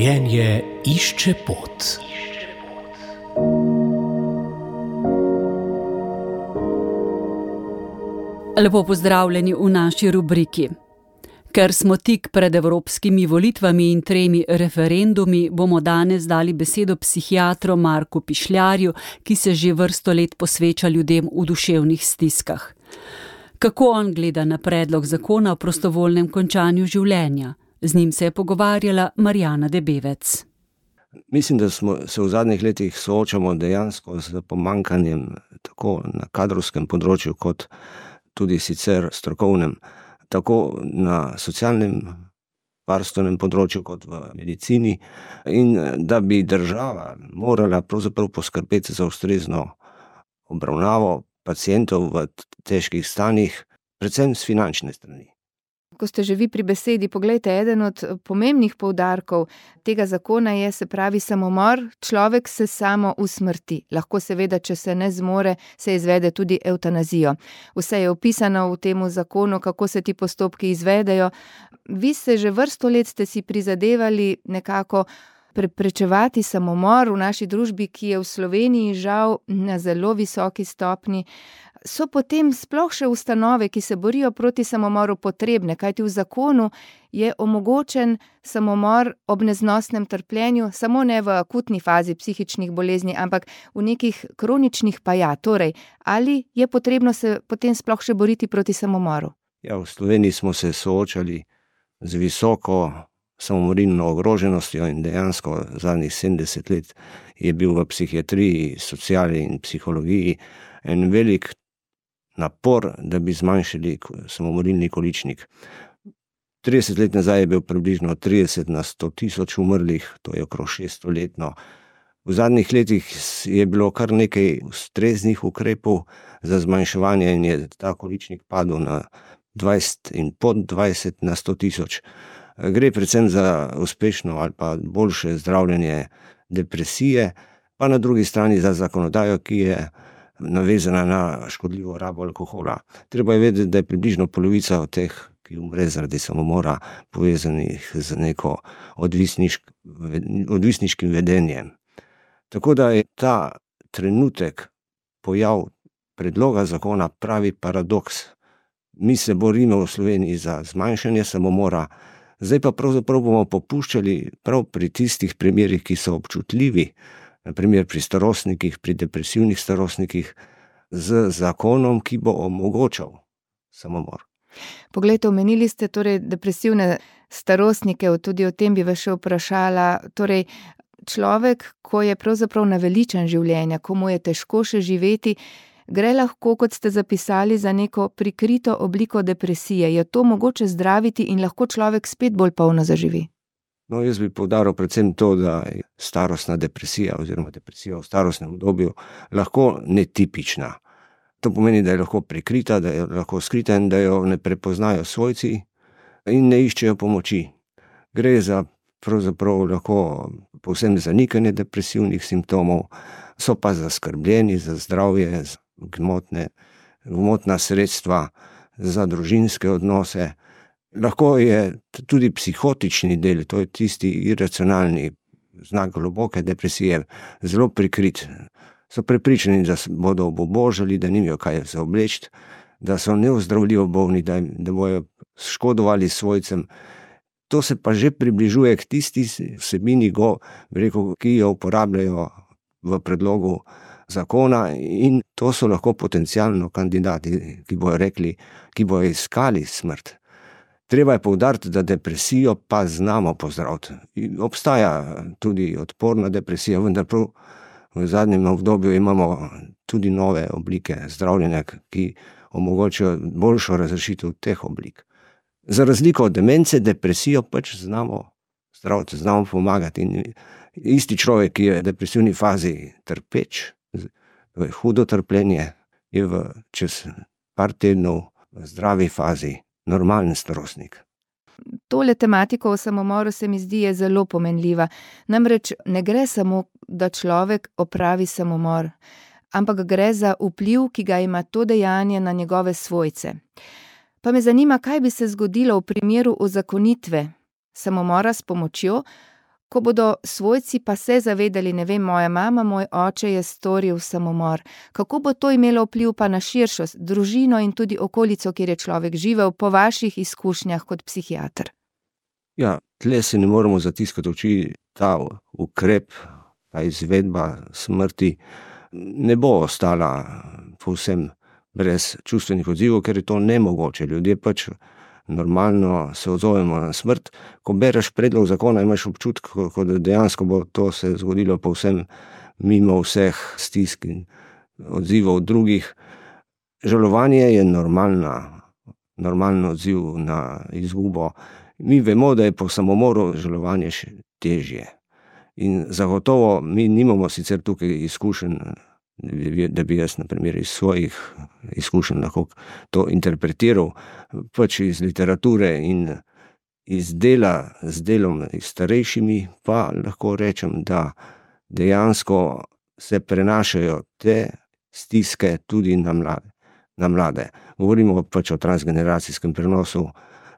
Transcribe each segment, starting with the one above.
Življenje išče pot. Lepo pozdravljeni v naši rubriki. Ker smo tik pred evropskimi volitvami in 3 referendumi, bomo danes dali besedo psihiatru Marku Pišljarju, ki se že vrsto let posveča ljudem v duševnih stiskah. Kako on gleda na predlog zakona o prostovoljnem končanju življenja? Z njim se je pogovarjala Marjana Debevec. Mislim, da se v zadnjih letih soočamo dejansko z pomanjkanjem tako na kadrovskem področju, kot tudi sicer strokovnem, tako na socialnem varstvenem področju kot v medicini, in da bi država morala pravzaprav poskrbeti za ustrezno obravnavo pacientov v težkih stanjih, predvsem s finančne strani. Ko ste že vi pri besedi, poglejte, eden od pomembnih poudarkov tega zakona je, se pravi, samomor. Človek se samo usmrti. Lahko seveda, če se ne zmore, se izvede tudi evtanazijo. Vse je opisano v tem zakonu, kako se ti postopki izvedejo. Vi se že vrsto let ste si prizadevali nekako preprečevati samomor v naši družbi, ki je v Sloveniji žal na zelo visoki stopnji. So potem sploh še ustanove, ki se borijo proti samomoru, potrebne, kajti v zakonu je omogočen samomor ob neznosnem trpljenju, samo ne v akutni fazi psihičnih bolezni, ampak v nekih kroničnih pa ja. Torej, ali je potrebno se potem sploh še boriti proti samomoru? Ja, v Sloveniji smo se soočali z visoko samomorilno ogroženostjo in dejansko zadnjih 70 let je bil v psihiatriji, sociali in psihologiji en velik napor, da bi zmanjšali samomorilni količnik. 30 let nazaj je bil približno 30 na 100 tisoč umrlih, to je okrog 600 letno. V zadnjih letih je bilo kar nekaj ustreznih ukrepov za zmanjševanje in je ta količnik padel na 20 in pod 20 na 100 tisoč. Gre predvsem za uspešno ali pa boljše zdravljenje depresije, pa na drugi strani za zakonodajo, ki je navezana na škodljivo rabo alkohola. Treba je vedeti, da je približno polovica od teh, ki umre zaradi samomora, povezanih z neko odvisniškim vedenjem. Tako da je ta trenutek pojav predloga zakona pravi paradoks. Mi se borimo v Sloveniji za zmanjšanje samomora, zdaj pa pravzaprav bomo popuščali prav pri tistih primerih, ki so občutljivi, na primer pri starostnikih, pri depresivnih starostnikih, z zakonom, ki bo omogočal samomor. Poglejte, omenili ste torej depresivne starostnike, tudi o tem bi vas še vprašala. Torej, človek, ko je pravzaprav naveličan življenja, ko mu je težko še živeti, gre lahko, kot ste zapisali, za neko prikrito obliko depresije. Je to mogoče zdraviti in lahko človek spet bolj polno zaživi? No, jaz bi poudaril predvsem to, da je starostna depresija oziroma depresija v starostnem obdobju lahko netipična. To pomeni, da je lahko prikrita, da je lahko skrita in da jo ne prepoznajo svojci in ne iščejo pomoči. Gre za pravzaprav lahko povsem zanikanje depresivnih simptomov, so pa zaskrbljeni za zdravje, za gmotna sredstva, za družinske odnose. Lahko je tudi psihotični del, to je tisti iracionalni znak globoke depresije, zelo prikrit. So prepričani, da bodo obubožali, da nimajo kaj za obleči, da so neozdravljivo bolni, da bojo škodovali svojcem. To se pa že približuje k tisti vsebini, ki jo uporabljajo v predlogu zakona, in to so lahko potencialno kandidati, ki bojo iskali smrt. Treba je poudariti, da depresijo pa znamo pozdraviti. Obstaja tudi odporna depresija, vendar prav v zadnjem obdobju imamo tudi nove oblike zdravljenja, ki omogočajo boljšo razrešitev teh oblik. Za razliko od demence, depresijo pač znamo zdraviti, znamo pomagati. In isti človek, ki je v depresivni fazi trpeč, v hudo trpljenje, je čez par tednov v zdravi fazi normalen starostnik. Tole tematiko o samomoru se mi zdi je zelo pomenljiva. Namreč ne gre samo, da človek opravi samomor, ampak gre za vpliv, ki ga ima to dejanje na njegove svojce. Pa me zanima, kaj bi se zgodilo v primeru uzakonitve samomora s pomočjo, ko bodo svojci pa se zavedali, ne vem, moja mama, moj oče je storil samomor. Kako bo to imelo vpliv pa na širšo družino in tudi okolico, kjer je človek živel, po vaših izkušnjah kot psihiater? Ja, tle se ne moremo zatiskati oči, ta ukrep, ta izvedba smrti ne bo ostala povsem brez čustvenih odzivov, ker je to nemogoče. Ljudje pač normalno se odzovemo na smrt. Ko bereš predlog zakona, imaš občutek, kot da dejansko bo to se zgodilo povsem mimo vseh stisk in odzivov drugih. Žalovanje je normalen odziv na izgubo. Mi vemo, da je po samomoru žalovanje še težje. In zagotovo mi nimamo sicer tukaj izkušenj, da bi jaz na primer iz svojih izkušenj lahko to interpretiral, pač iz literature in iz dela z delom s starejšimi, pa lahko rečem, da dejansko se prenašajo te stiske tudi na mlade. Govorimo pač o transgeneracijskem prenosu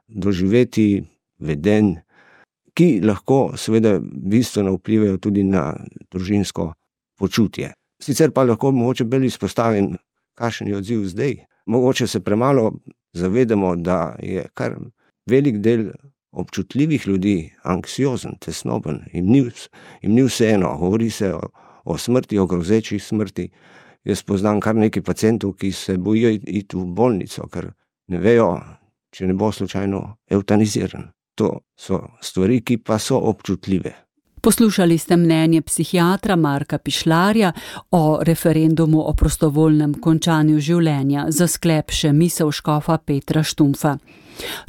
doživetij, vedenj, ki lahko seveda bistveno vplivajo tudi na družinsko počutje. Sicer pa lahko mogoče bolj izpostavim, kakšen je odziv zdaj. Mogoče se premalo zavedamo, da je kar velik del občutljivih ljudi anksiozen, tesnoben, jim ni vseeno, govori se o smrti, o grozeči smrti. Jaz poznam kar nekaj pacientov, ki se bojijo iti v bolnico, ker ne vejo, če ne bo slučajno evtaniziran. To so stvari, ki pa so občutljive. Poslušali ste mnenje psihiatra Marka Pišljarja o referendumu o prostovoljnem končanju življenja, za sklep še misel škofa Petra Štumpfa.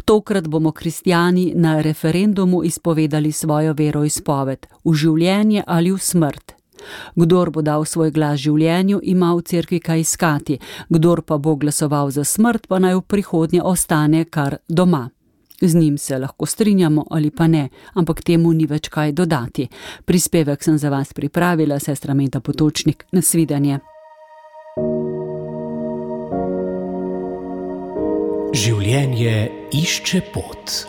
Tokrat bomo kristjani na referendumu izpovedali svojo veroizpoved, v življenje ali v smrt. Kdor bo dal svoj glas življenju, ima v cerkvi kaj iskati, kdor pa bo glasoval za smrt, pa naj v prihodnje ostane kar doma. Z njim se lahko strinjamo ali pa ne, ampak temu ni več kaj dodati. Prispevek sem za vas pripravila, sestra Meta Potočnik. Nasvidenje. Življenje išče pot.